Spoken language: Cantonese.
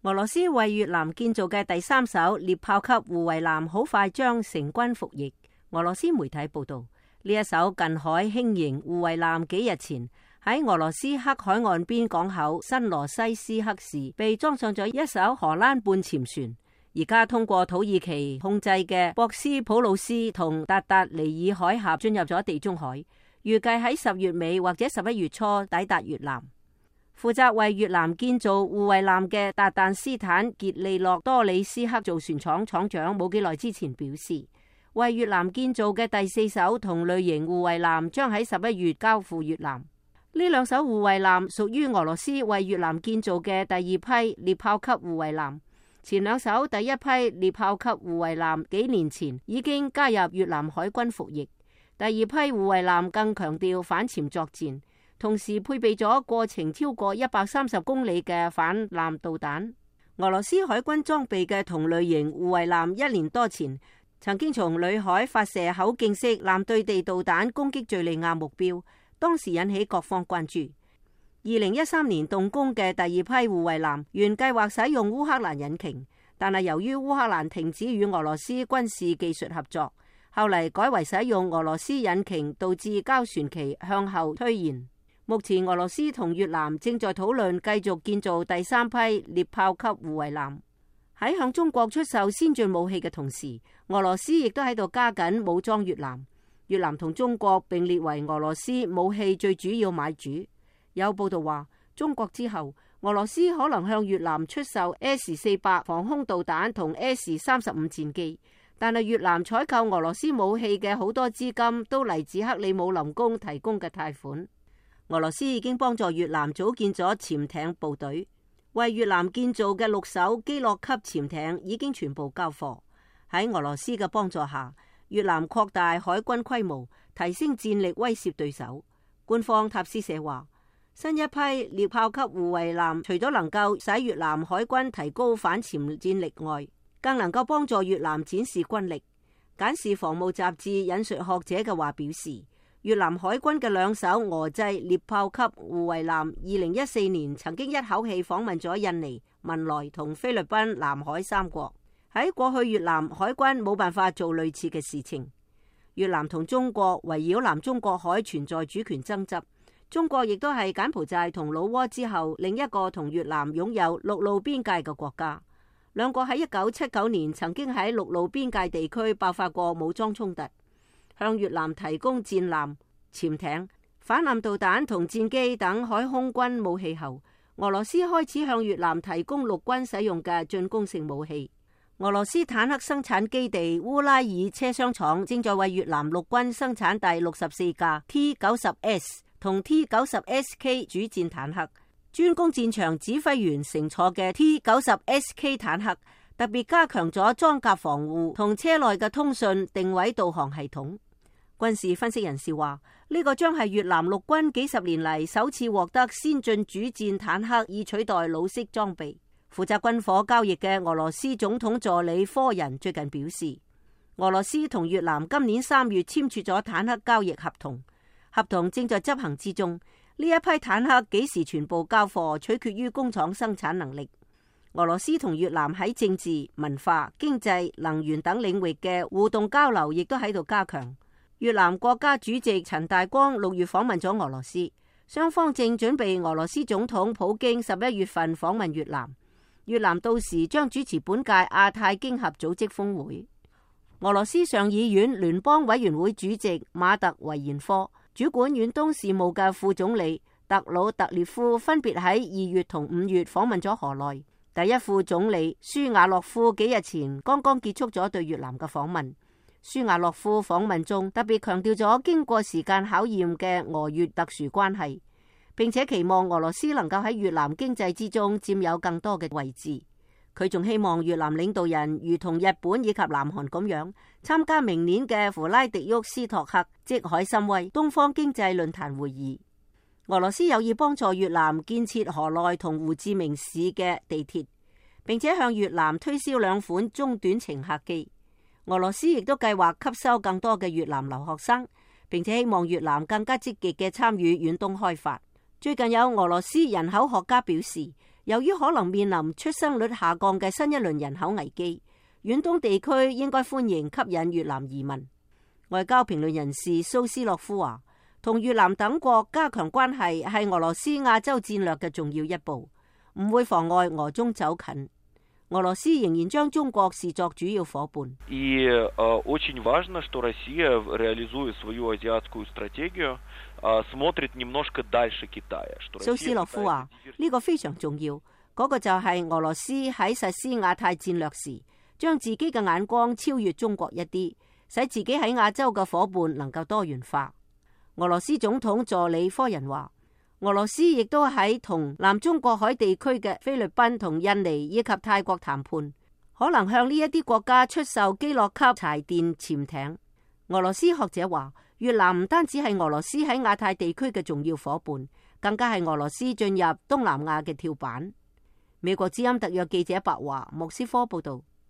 俄羅斯為越南建造嘅第3艘獵豹級護衛艦好快將成軍服役。俄羅斯媒體報道，呢一艘近海輕型護衛艦幾日前喺俄羅斯黑海岸邊港口新羅西斯克市被裝上咗一艘荷蘭半潛船，而家通過土耳其控制嘅博斯普魯斯同達達尼爾海峽進入咗地中海，預計喺10月尾或者11月初抵達越南。負責為越南建造護衛艦嘅達旦斯坦傑利諾多里斯克造船廠廠長冇幾耐之前表示，為越南建造嘅第4艘同類型護衛艦將喺11月交付越南。呢2艘護衛艦屬於俄羅斯為越南建造嘅第2批獵豹級護衛艦。前2艘第1批獵豹級護衛艦幾年前已經加入越南海軍服役。第2批護衛艦更強調反潛作戰，同時配備咗過程超過130公里嘅反艦導彈。俄羅斯海軍裝備嘅同類型護衛艦1年多前曾經從裏海發射口徑式艦對地導彈攻擊敘利亞目標，當時引起各方關注。2013年動工嘅第2批護衛艦原計劃使用烏克蘭引擎，但係由於烏克蘭停止與俄羅斯軍事技術合作，後嚟改為使用俄羅斯引擎，導致交船期向後推延。目前俄羅斯同越南正在討論繼續建造第3批獵豹級護衛艦。喺向中國出售先進武器嘅同時，俄羅斯亦都喺度加緊武裝越南。越南同中國並列為俄羅斯武器最主要買主。有報道話，中國之後，俄羅斯可能向越南出售 S-400防空導彈同 S-35戰機。但係越南採購俄羅斯武器嘅好多資金都嚟自克里姆林宮提供嘅貸款。俄羅斯已經幫助越南組建咗潛艇部隊，為越南建造嘅6艘基洛級潛艇已經全部交貨。喺俄羅斯嘅幫助下，越南擴大海軍規模，提升戰力，威懾對手。官方塔斯社話，新一批獵豹級護衛艦除咗能夠使越南海軍提高反潛戰力外，更能夠幫助越南展示軍力。簡氏防務雜誌引述學者嘅話表示，越南海軍嘅2艘俄製獵豹級護衛艦2014年曾經一口氣訪問咗印尼、文萊同菲律賓南海3國。喺過去越南海軍冇辦法做類似嘅事情。越南同中國圍繞南中國海存在主權爭執，中國亦都係柬埔寨同老撾之後另一個同越南擁有陸路邊界嘅國家。兩個喺1979年曾經喺陸路邊界地區爆發過武裝衝突，向越南提供戰艦、潛艇、反艦導彈同戰機等海空軍武器後，俄羅斯開始向越南提供陸軍使用嘅進攻性武器。俄羅斯坦克生產基地烏拉爾車廂廠正在為越南陸軍生產第64架 T-90S 同 T-90SK 主戰坦克。專攻戰場指揮員乘坐嘅 T-90SK 坦克特別加強咗裝甲防護同車內嘅通訊定位導航系統。軍事分析人士話，呢個將係越南陸軍幾十年嚟首次獲得先進主戰坦克，以取代老式裝備。負責軍火交易嘅俄羅斯總統助理科人最近表示，俄羅斯同越南今年3月簽署咗坦克交易合同，合同正在執行之中。呢一批坦克幾時全部交貨，取決於工廠生產能力。俄羅斯同越南喺政治、文化、經濟、能源等領域嘅互動交流亦都喺度加強。越南國家主席陳大光6月訪問咗俄羅斯，雙方正準備俄羅斯總統普京11月份訪問越南。越南到時將主持本屆亞太經合組織峰會。俄羅斯上議院聯邦委員會主席馬特維延科、主管遠東事務嘅副總理特魯特列夫分別喺2月同5月訪問咗河內。第一副總理舒瓦洛夫幾日前剛剛結束咗對越南嘅訪問。舒瓦洛夫訪問中特別強調咗經過時間考驗嘅俄越特殊關係，並且期望俄羅斯能夠喺越南經濟之中佔有更多嘅位置。佢仲希望越南領導人如同日本以及南韓咁樣參加明年嘅弗拉迪沃斯托克即海參崴東方經濟論壇會議。俄羅斯有意幫助越南建設河內同胡志明市嘅地鐵，並且向越南推銷2款中短程客機。俄羅斯亦都計劃吸收更多嘅越南留學生，並且希望越南更加積極嘅參與遠東開發。最近有俄羅斯人口學家表示，由於可能面臨出生率下降嘅新一輪人口危機，遠東地區應該歡迎吸引越南移民。外交評論人士蘇斯洛夫話，同越南等國加強關係係俄羅斯亞洲戰略嘅重要一步，唔會妨礙俄中走近。俄羅斯仍然將中國視作主要伙伴。蘇斯洛夫話，呢個非常重要，嗰個就係俄羅斯喺實施亞太戰略時，將自己嘅眼光超越中國一啲，使自己喺亞洲嘅伙伴能夠多元化。俄羅斯總統助理科人話，俄羅斯亦都喺同南中國海地區嘅菲律賓同印尼以及泰國談判，可能向呢一啲國家出售基洛級柴電潛艇。俄羅斯學者話，越南唔單止係俄羅斯喺亞太地區嘅重要伙伴，更加係俄羅斯進入東南亞嘅跳板。美國之音特約記者白華莫斯科報道。